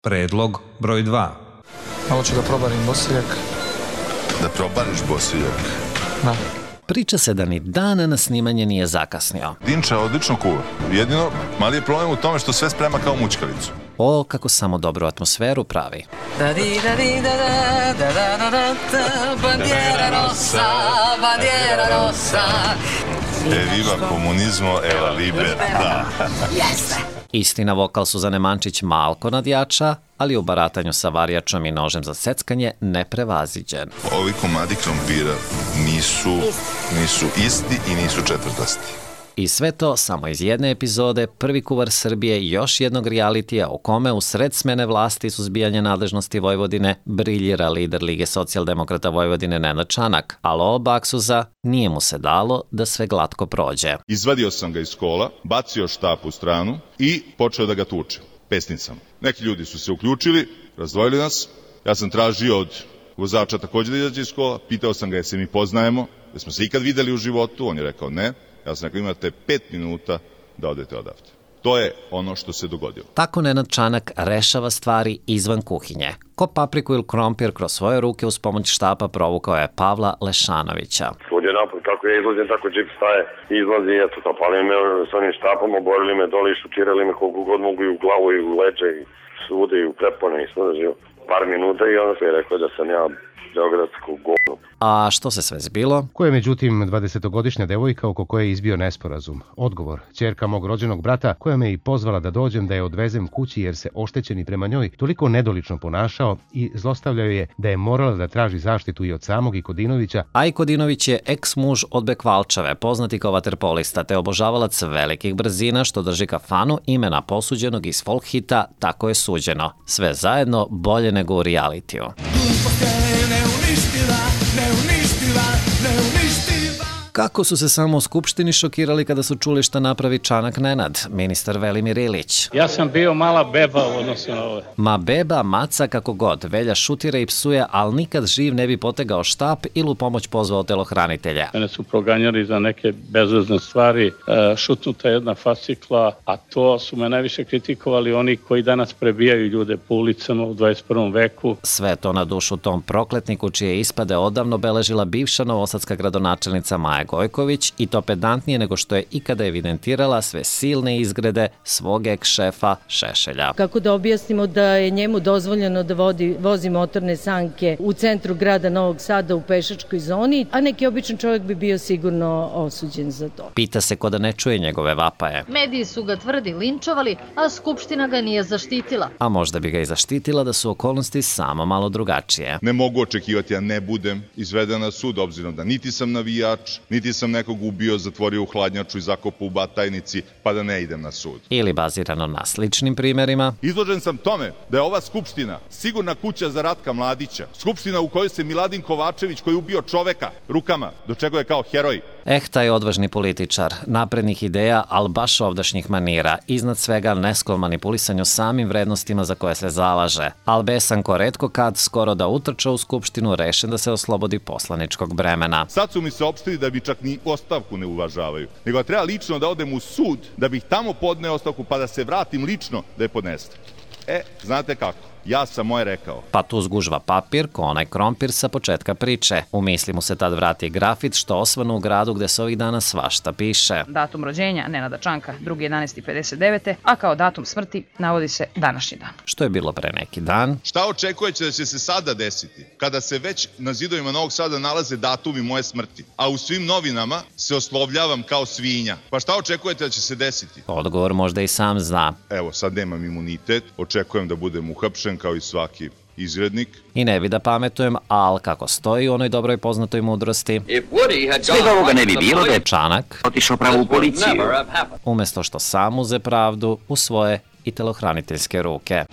Predlog broj 2. Malo ću da probarim bosiljak. Da probariš bosiljak? Da. Priča se da ni dan na snimanje nije zakasnio. Dinča odlično kuva. Jedino, mali je problem u tome što sve sprema kao mućkalicu. O, kako samo dobru atmosferu pravi. Bandiera rossa, bandiera rossa. E viva komunizmo, e la libertà. Istina, vokal Suzane Mančić malko nadjača, ali u baratanju sa varijačom i nožem za seckanje neprevaziđen. Ovi komadi krompira nisu isti i nisu četvrtasti. I sve to samo iz jedne epizode, prvi kuvar Srbije i još jednog realitija u kome u sred smene vlasti i suzbijanja nadležnosti Vojvodine briljira lider Lige socijaldemokrata Vojvodine Nenad Čanak, a Loo Baksuza nije mu se dalo da sve glatko prođe. Izvadio sam ga iz kola, bacio štap u stranu i počeo da ga tučem pesnicama. Neki ljudi su se uključili, razdvojili nas, ja sam tražio od vozača takođe da izađe iz kola, pitao sam ga jesi mi poznajemo, da smo se ikad videli u životu, on je rekao ne. Ja sam rekao, imate 5 minuta da odete odavde. To je ono što se dogodilo. Tako Nenad Čanak rešava stvari izvan kuhinje. Ko papriku ili krompir kroz svoje ruke uz pomoć štapa provukao je Pavla Lešanovića. Svud je napad, kako ja izlazim, tako džip staje, izlazi, eto, zapalili me s onim štapom, oborili me dole i šutirali me koliko god mogu i u glavu i u leđe i svude i u prepone i svuda živo. Par minuta i onda se je rekao da sam ja beogradsko govno. A što se sve zbilo? Ko je međutim 20-godišnja devojka oko koje je izbio nesporazum? Odgovor, ćerka mog rođenog brata koja me i pozvala da dođem da je odvezem kući jer se oštećeni prema njoj toliko nedolično ponašao i zlostavljao je da je morala da traži zaštitu i od samog Ikodinovića. A Ikodinović je eks-muž od Bekvalčave, poznati kao vaterpolista te obožavalac velikih brzina što drži kafanu imena posuđenog iz folk hita Tako je suđeno. Sve zajedno bolje nego u realitiju. Kako su se samo u Skupštini šokirali kada su čuli šta napravi Čanak Nenad, ministar Velimir Ilić. Ja sam bio mala beba u odnosu na ove. Ma beba, maca, kako god, Velja šutira i psuje, ali nikad živ ne bi potegao štap ili u pomoć pozvao telohranitelja. Mene su proganjali za neke bezvezne stvari, šutnuta jedna fascikla, a to su me najviše kritikovali oni koji danas prebijaju ljude po ulicama u 21. veku. Sve to na dušu tom prokletniku čije ispade odavno beležila bivša novosadska gradonačelnica Maja Gojković i to pedantnije nego što je ikada evidentirala sve silne izgrede svog eks-šefa Šešelja. Kako da objasnimo da je njemu dozvoljeno da vozi motorne sanke u centru grada Novog Sada u pešačkoj zoni, a neki običan čovjek bi bio sigurno osuđen za to. Pita se ko da ne čuje njegove vapaje. Mediji su ga tvrdi linčovali, a Skupština ga nije zaštitila. A možda bi ga i zaštitila da su okolnosti samo malo drugačije. Ne mogu očekivati, ja ne budem izveden na sud, obzirom da niti sam navijač, niti sam nekog ubio, zatvorio u hladnjaču i zakopao u Batajnici, pa da ne idem na sud. Ili bazirano na sličnim primerima. Izložen sam tome da je ova Skupština sigurna kuća za Ratka Mladića. Skupština u kojoj se Miladin Kovačević, koji je ubio čoveka rukama, do čega je kao heroj. Taj odvažni političar, naprednih ideja, ali baš ovdašnjih manira, iznad svega nesklon manipulisanju samim vrednostima za koje se zalaže, ali besan ko retko kad skoro da utrča u Skupštinu rešen da se oslobodi poslaničkog bremena. Sad su mi se opštili da bi čak ni ostavku ne uvažavaju, nego treba lično da odem u sud, da bih tamo podneo ostavku, pa da se vratim lično da je podnesem. Znate kako? Ja sam moje rekao. Pa tu zgužva papir, ko onaj krompir sa početka priče. U misli mu se tad vrati grafit što osvanu u gradu gde se ovih dana svašta piše. Datum rođenja Nenada Čanka 2.11.59. a kao datum smrti navodi se današnji dan. Što je bilo pre neki dan. Šta očekujete da će se sada desiti? Kada se već na zidovima Novog Sada nalaze datumi moje smrti, a u svim novinama se oslovljavam kao svinja. Pa šta očekujete da će se desiti? Odgovor možda i sam zna. Evo, sad nemam imunitet, očekujem da budem uhapšen kao i svaki izgrednik. I ne bi da pametujem, ali kako stoji u onoj dobroj poznatoj mudrosti. Svega ovoga ne bi bilo da je Čanak otišao pravo u policiju. Umesto što sam uze pravdu u svoje i telohraniteljske ruke.